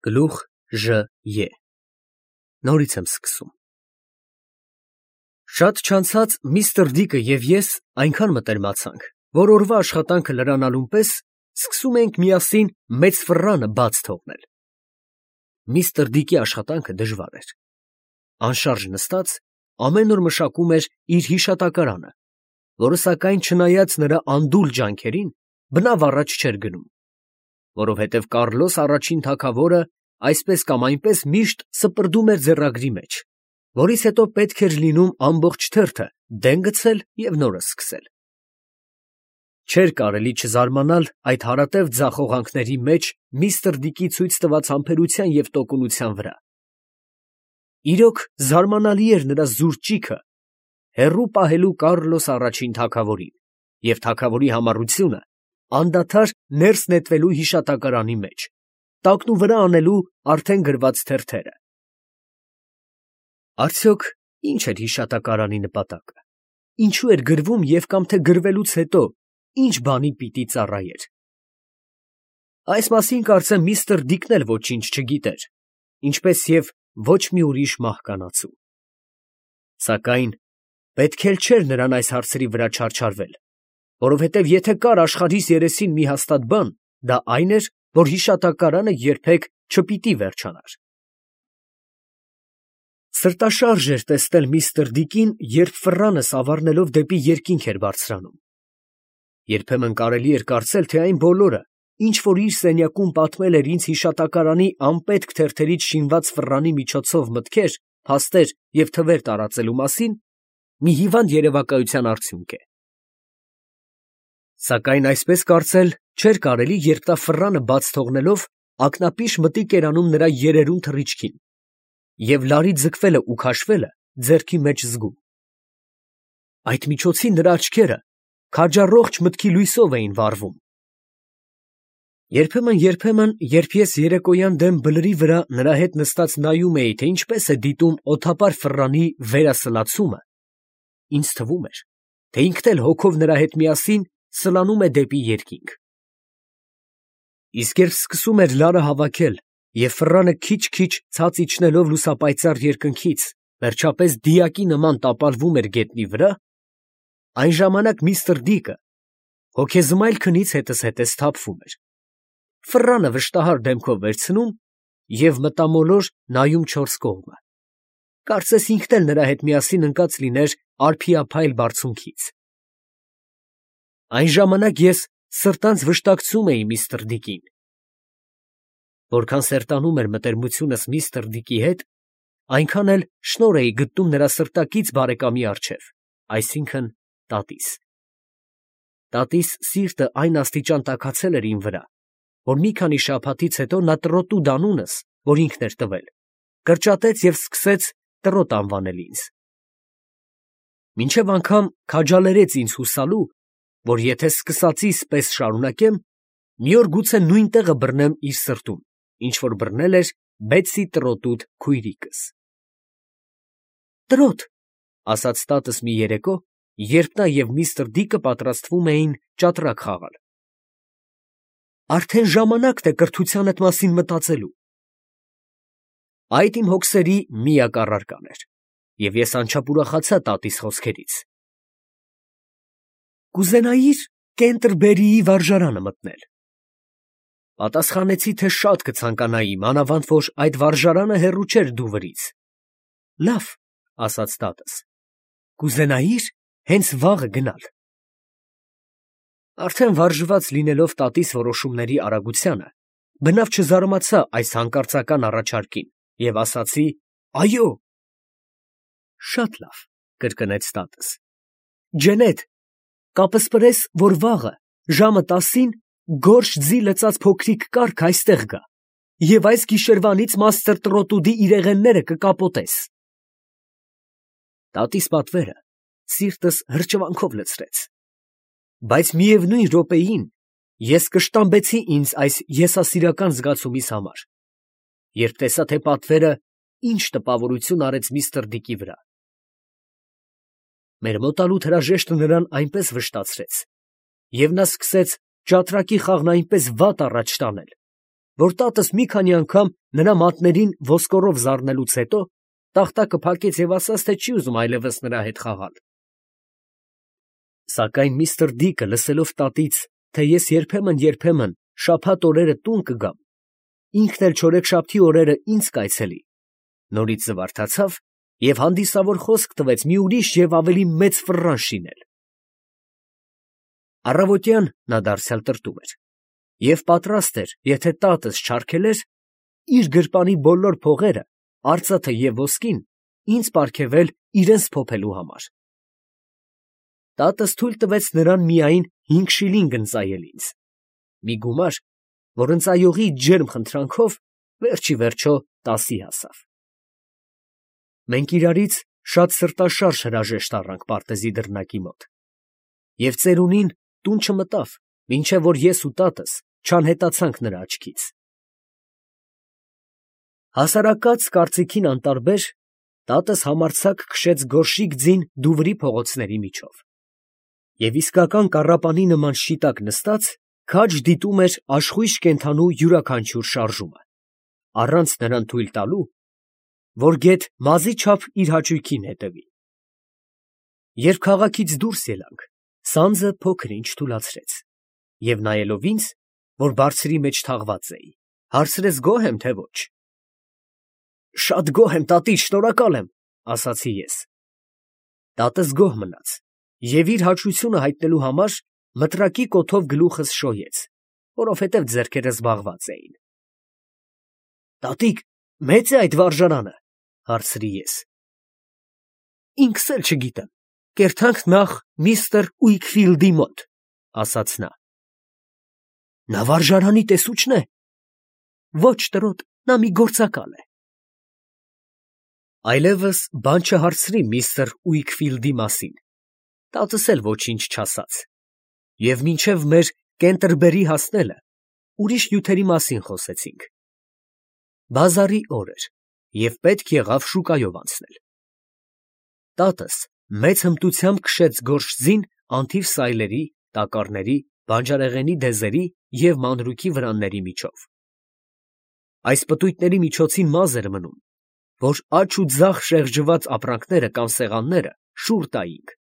Գլուխ Ժ Ե Նորից եմ սկսում։ Շատ չանցած միստր Դիկը և ես այնքան մտերմացանք, որ օրվա աշխատանքը լրանալուն պես սկսում էինք միասին մեծ ֆռռանը բաց թողնել։ Միստր Դիկի աշխատանքը դժվար էր։ Անշարժ նստած, ամեն օր մշակում էր իր հիշատակարանը, որը սակայն չնայած նրա անդուլ ջանքերին, բնավ առաջ չէր գնում, որովհետև Կառլոս առաջին թագավորը այսպես կամ այնպես միշտ սպրդում էր ձեռագրի մեջ, որից հետո պետք էր լինում ամբողջ թերթը դեն գցել և նորը սկսել։ Չէր կարելի չզարմանալ այդ հարատև ձախողանքների մեջ միստր Դիկի ցույց տված համբերության և տոկունության վրա։ Իրոք զարմանալի էր նրա զուր ճիգը հեռու պահելու Կառլոս առաջին թագավորին և թագավորի համառությունը անդադար ներս նետվելու հիշատակարանի մեջ, տակնուվրա անելու արդեն գրված թերթերը։ Արդյոք ի՞նչ էր հիշատակարանի նպատակը, ինչու էր գրվում և կամ թե գրվելուց հետո ի՞նչ բանի պիտի ծառայեր։ Այս մասին կարծեմ միստր Դիկն էլ ոչինչ չգիտեր, ինչպես և ոչ մի ուրիշ մահկանացու։ Սակայն պետք էլ չէր նրան այս հարցերի վրա չարչարվել, որովհետև եթե կար աշխարհիս երեսին մի հաստատ բան, դա այն էր, որ հիշատակարանը երբեք չպիտի վերջանար։ Սրտաշարժ էր տեսնել միստր Դիկին, երբ ֆռռանը սավառնելով դեպի երկինք էր բարձրանում։ Երբեմն կարելի էր կարծել, թե այն բոլորը, ինչ որ իր սենյակում պատմել էր ինձ հիշատակարանի անպետք թերթերից շինված ֆռռանի միջոցով մտքեր, փաստեր և թվեր տարածելու մասին, մի հիվանդ երևակայության արդյունք է։ Սակայն այսպես կարծել չէր կարելի, երբ նա ֆռռանը բաց թողնելով ակնապիշ մտիկ էր անում նրա երերուն թռիչքին և լարի ձգվելը ու քաշվելը ձեռքի մեջ զգում։ Այդ միջոցին նրա աչքերը քաջառողջ մտքի լույսով էին վառվում։ Երբեմն, երբ ես երեկոյան դեմ բլրի վրա նրա հետ նստած նայում էի, թե ինչպես է դիտում օդապար ֆռռանի վերասլացումը, ինձ թվում էր, թե ինքն էլ հոգով նրա հետ միասին սլանում է դեպի երկինք։ Իսկ երբ սկսում էր լարը հավաքել և ֆռռանը քիչ-քիչ ցած իջնելով լուսապայծառ երկնքից, վերջապես դիակի նման տապալվում էր գետնի վրա, այն ժամանակ միստր Դիկը հոգեզմայլ քնից հետզհետե սթափվում էր, ֆռռանը վշտահար դեմքով վերցնում և մտամոլոր նայում չորս կողմը, կարծես ինքն էլ նրա հետ միասին ընկած լիներ արփիափայլ բարձունքից։ Այն ժամանակ ես սրտանց վշտակցում էի միստր Դիկին։ Որքան սերտանում էր մտերմությունս միստր Դիկի հետ, այնքան էլ շնորհ էի գտնում նրա սրտակից բարեկամի առջև, այսինքն տատիս։ Տատիս սիրտը այն աստիճան տաքացել էր իմ վրա, որ մի քանի շաբաթից հետո նա Տրոտուդ անունս, որ ինքն էր տվել, կրճատեց և սկսեց Տրոտ անվանել ինձ։ Մինչև անգամ քաջալերեց ինձ հուսալու, որ եթե սկսածիս պես շարունակեմ, մի օր գուցե նույն տեղը բռնեմ իր սրտում, ինչ որ բռնել էր Բեթսի Տրոտուդ քույրիկս։ «Տրոտ», ասաց տատս մի երեկո, երբ նա և միստր Դիկը պատրաստվում էին ճատրակ խաղալ, արդեն ժամանակն է կրթությանդ մասին մտածելու։ Այդ իմ հոգսերի միակ առարկան էր, և ես անչափ ուրախացա տատիս խոսքերից։ «Կուզենայի՞ր Կենտերբերիի վարժարանը մտնել»։ Պատասխանեցի, թե շատ կցանկանայի, մանավանդ որ այդ վարժարանը հեռու չէր դուվրից։ «Լավ, ֊ ասաց տատս, ֊ կուզենայի՞ր հենց վաղը գնալ»։ Արդեն վարժված լինելով տատիս որոշումների արագությանը, բնավ չզարմացա այս հանկարծական առաջարկին և ասացի. «Այո»։ «Շատ լավ, ֊ կրկնեց տատս, ֊ Ջենետ, կապսպրես, որ վաղը ժամը 10-ին գորշ ձի լցած փոքրիկ կառք այստեղ գա և այս գիշերվանից մաստր Տրոտուդի իրեղենները կկապոտես»։ Տատիս պատվերը սիրտս հրճվանքով լցրեց, բայց միևնույն րոպեին ես կշտամբեցի ինձ այս եսասիրական զգացումիս համար, երբ տեսա, թե պատվերը ինչ տպավորություն արեց միստր Դիկի վրա։ Մեր մոտալուտ հրաժեշտը նրան այնպես վշտացրեց, և նա սկսեց ճատրակի խաղն այնպես վատ առաջ տանել, որ տատս մի քանի անգամ նրա մատներին ոսկորով զարնելուց հետո տախտակը փակեց և ասաց, թե չի ուզում այլևս նրա հետ խաղալ։ Սակայն միստր Դիկը, լսելով տատից, թե ես երբեմն շաբաթ օրերը տուն կգամ, ինքն էլ չորեքշաբթի օրերը ինձ կայցելի, նորից զվարթացավ և հանդիսավոր խոսք տվեց մի ուրիշ և ավելի մեծ ֆռռան շինել։ Առավոտյան նա դարձյալ տրտում էր և պատրաստ էր, եթե տատս չարգելեր, իր գրպանի բոլոր փողերը, արծաթը և ոսկին ինձ պարգևել իրենց փոփելու համար։ Տատս թույլ տվեց նրան միայն 5 շիլինգ ընծայել ինձ, մի գումար, որ ընծայողի ջերմ խնդրանքով վերջիվերջո 10-ի հասավ։ Մենք իրարից շատ սրտաշարժ հրաժեշտ առանք պարտեզի դռնակի մոտ, և ծերունին տուն չմտավ, մինչև որ ես ու տատս չանհետացանք նրա աչքից։ Հասարակած կարծիքին անտարբեր, տատս համարձակ քշեց գորշիկ ձին Դուվրի փողոցների միջով, և իսկական կառապանի նման շիտակ նստած, քաջ դիտում էր աշխույժ կենդանու յուրաքանչյուր շարժումը, առանց նրան թույլ տալու, որ գեթ մազի չափ իր հաճույքին հետևի։ Երբ քաղաքից դուրս ելանք, սանձը փոքր-ինչ թուլացրեց, և նայելով ինձ, որ բարձրի մեջ թաղված էի, հարցրեց գոհ եմ, թե ոչ։ Շատ գոհ եմ, տատիկ, շնորհակալ եմ, ասացի ես։ Տատս գոհ մնաց և իր հաճությունը հայտնելու համար մտրակի կոթով գլուխս շոյեց, որովհետև ձեռքերս զբաղված էին։ Տատիկ, մե՞ծ է այդ վարժարանը, հարցրի ես։ Ինքս էլ չգիտեմ, կերթանք նախ միստր Ուիքֆիլդի մոտ, ասաց նա։ Նա վարժարանի տեսուչն է։ Ոչ, տրոտ, նա մի գործակալ է։ Այլևս բան չհարցրի միստր Ուիքֆիլդի մասին, տատս էլ ոչինչ չասաց, և մինչև մեր Կենտերբերի հասնելը ուրիշ նյութերի մասին խոսեցինք։ Բազարի օր էր, և պետք եղավ շուկայով անցնել։ Տատս մեծ հմտությամբ քշեց գորշ ձին անթիվ սայլերի, տակառների, բանջարեղենի դեզերի և մանրուքի վրանների միջով։ Այս պտույտների միջոցին մազ էր մնում, որ աջ ու ձախ շեղջված ապրանքները կամ սեղանները շուռ տայինք։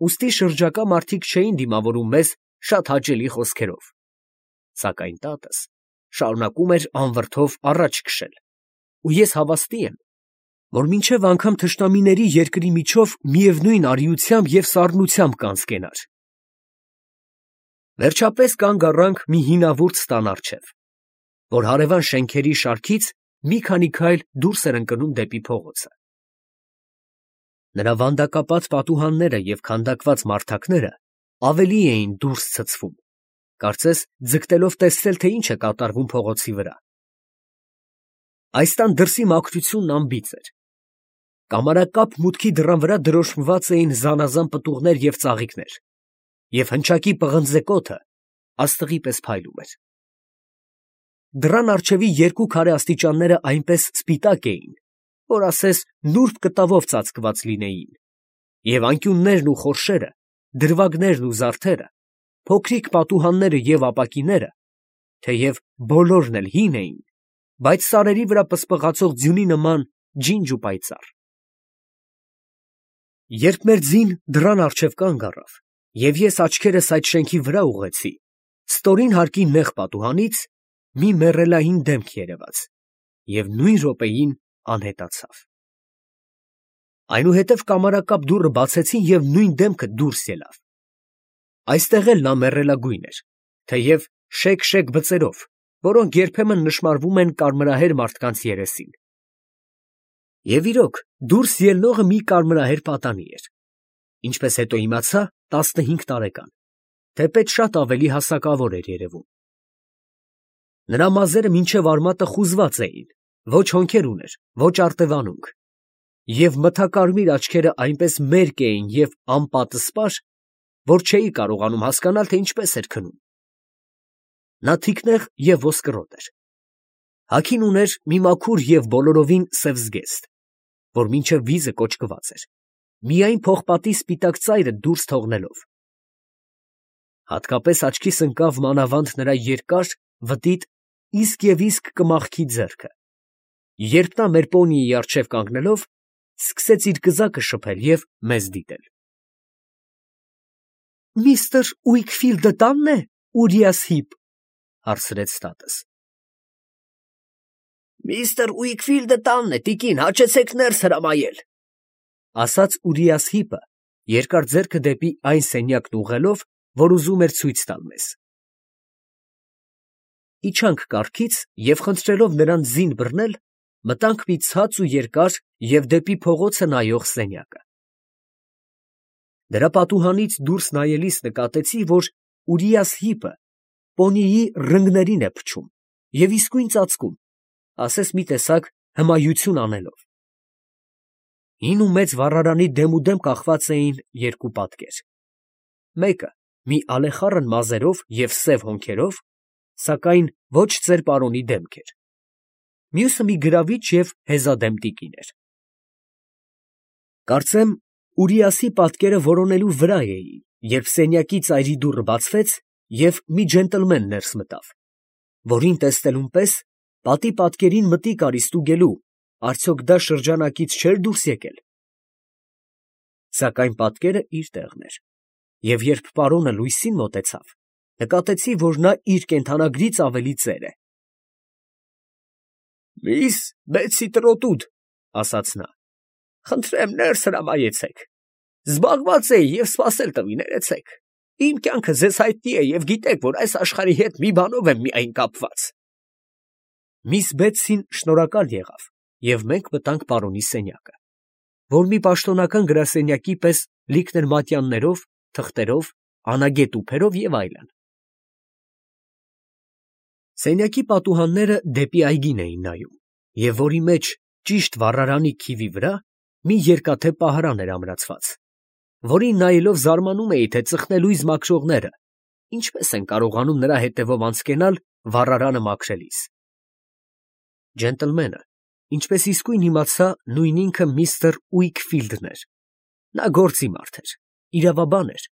Ուստի շրջակա մարդիկ չէին դիմավորում մեզ շատ հաճելի խոսքերով, սակայն տատս շարունակում էր անվրդով առաջ քշել, ու ես հավաստի եմ, որ մինչև անգամ թշնամիների երկրի միջով միևնույն արիությամբ և սառնությամբ կանցկենար։ Վերջապես կանգ առանք մի հինավուրց տան առջև, որ հարևան շենքերի շարքից մի քանի քայլ դուրս էր ընկնում դեպի փողոցը։ Նրա վանդակապատ պատուհանները և քանդակված մարդակները ավելի էին դուրս ցցվում, կարծես ձգտելով տեսնել, թե ինչ է կատարվում փողոցի վրա։ Այս տան դրսի մաքրությունն անբիծ էր։ Կամարակապ մուտքի դռան վրա դրոշմված էին զանազան պտուղներ և ծաղիկներ, և հնչակի պղնձե կոթը աստղի պես փայլում էր։ Դռան առջևի երկու քարե աստիճանները այնպես սպիտակ էին, որ ասես նուրբ կտավով ծածկված լինեին, և անկյուններն ու խորշերը, դրվագներն ու զարդերը, փոքրիկ պատուհանները և ապակիները, թեև բոլորն էլ հին էին, բայց սարերի վրա պսպղացող ձյունի նման ջինջ ու պայծառ։ Երբ մեր ձին դռան առջև կանգ առավ, և ես աչքերս այդ շենքի վրա ուղղեցի, ստորին հարկի նեղ պատուհանից մի մեռելային դեմք երևաց և նույն րոպեին անհետացավ։ Այնուհետև կամարակապ դուռը բացեցին և նույն դեմքը դուրս ելավ։ Այստեղ էլ նա մեռելագույն էր, թեև շեկ բծերով, որոնք երբեմն նշմարվում են կարմրահեր մարդկանց երեսին։ Եվ իրոք, դուրս ելնողը մի կարմրահեր պատանի էր, ինչպես հետո իմացա, 15 տարեկան, թեպետ շատ ավելի հասակավոր էր երևում։ Նրա մազերը մինչև արմատը խուզված էին, ոչ հոնքեր ուներ, ոչ արտևանունք, և մթակարմիր աչքերը այնպես մերկ էին և անպատսպար, որ չէի կարողանում հասկանալ, թե ինչպես էր քնում։ Նա թիկնեղ և ոսկրոտ էր։ Հագին ուներ մի մաքուր և բոլորովին սև զգեստ, որ մինչև վիզը կոճկված էր, միայն պողպատի սպիտակ ծայրը դուրս թողնելով։ Հատկապես աչքիս ընկավ մանավանդ նրա երկար, վտիտ, իսկ կմախքի ձեռքը, երբ նա մեր պոնիի առջև կանգնելով, սկսեց իր կզակը շփել և մեզ դիտել։ «Միստր Ուիքֆիլդը տանն է, Ուրիաս Հիփ», հարցրեց տատս։ «Միստր Ուիքֆիլդը տանն է, տիկին, հաճեցեք ներս հրամայել», ասաց Ուրիաս Հիփը, երկար ձեռքը դեպի այն սենյակն ուղղելով, որ ուզում էր ցույց տալ մեզ։ Իջանք կառքից և խնդրելով նրան զին բռնել, մտանք մի ցած ու երկար և դեպի փողոցը նայող սենյակը։ Դրա պատուհանից դուրս նայելիս նկատեցի, որ Ուրիաս Հիփը պոնիի ռնգներին է փչում և իսկույն ծածկում, ասես մի տեսակ հմայություն անելով։ Հին ու մեծ վառարանի դեմուդեմ կախված էին երկու պատկեր. մեկը մի ալեխառն մազերով և սև հոնքերով, սակայն ոչ ծեր պարոնի դեմք էր, մյուսը մի գրավիչ և հեզադեմ տիկին էր։ Կարծեմ Ուրիասի պատկերը որոնելու վրա էի, երբ սենյակի ծայրի դուռը բացվեց և մի ջենտլմեն ներս մտավ, որին տեսնելուն պես պատի պատկերին մտիկ արի ստուգելու, արդյոք դա շրջանակից չէր դուրս եկել։ Սակայն պատկերը իր տեղն էր, և երբ պարոնը լույսին մոտեցավ, նկատեցի, որ նա իր կենդանագրից ավելի ծեր է։ «Միս Բեթսի Տրոտուդ, ֊ ասաց նա, ֊ խնդրեմ ներս հրամայեցեք, զբաղված էի և սպասել տվի, ներեցեք, իմ կյանքը ձեզ հայտնի է և գիտեք, որ այս աշխարհի հետ մի բանով եմ միայն կապված»։ Միս Բեթսին շնորհակալ եղավ, և մենք մտանք պարոնի սենյակը, որ մի պաշտոնական գրասենյակի պես լիքն էր մատյաններով, թղթերով, անագետ տուփերով և այլն։ Սենյակի պատուհանները դեպի այգին էին նայում, և որի մեջ, ճիշտ վառարանի քիվի վրա, մի երկաթե պահարան էր ամրացված, որին նայելով զարմանում էի, թե ծխնելույզ մաքրողները ինչպես են կարողանում նրա հետևով անցկենալ վառարանը մաքրելիս։ Ջենտլմենը, ինչպես իսկույն իմացա, նույն ինքը միստր Ուիքֆիլդն էր։ Նա գործի մարդ էր, իրավաբան էր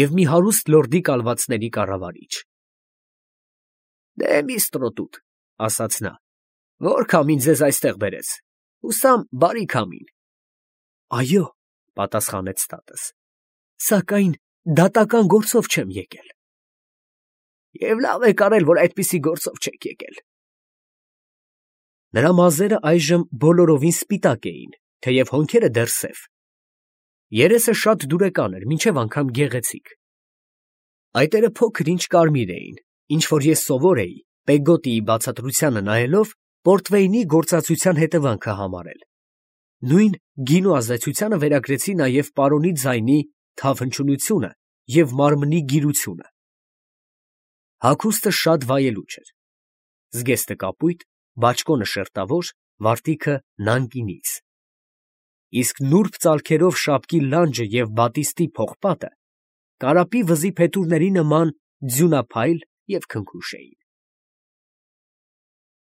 և մի հարուստ լորդի կալվածների կառավարիչ։ «Դե, միս Տրոտուդ, ֊ ասաց նա, ֊ ո՞ր քամին ձեզ այստեղ բերեց, հուսամ բարի քամին»։ «Այո, ֊ պատասխանեց տատս, ֊ սակայն դատական գործով չեմ եկել»։ «Եվ լավ եք արել, որ այդպիսի գործով չեք եկել»։ Նրա մազերը այժմ բոլորովին սպիտակ էին, թեև հոնքերը դեռ սև։ Երեսը շատ դուրեկան էր, մինչև անգամ գեղեցիկ։ Այտերը փոքր ինչ կարմիր էին, ինչ որ ես սովոր էի, Պեգոտիի բացատրությանը նայելով, պորտվեյնի գործածության հետևանքը համարել։ Նույն գինու ազդեցությանը վերագրեցի նաև պարոնի ձայնի թավ հնչյունությունը և մարմնի գիրությունը։ Հագուստը շատ վայելուչ էր. զգեստը կապույտ, բաճկոնը շերտավոր, վարտիքը նանկինից, իսկ նուրբ ծալքերով շապկի լանջը և բատիստի փողպատը կարապի վզի փետուրների նման ձյունափայլ և քնքուշ էին։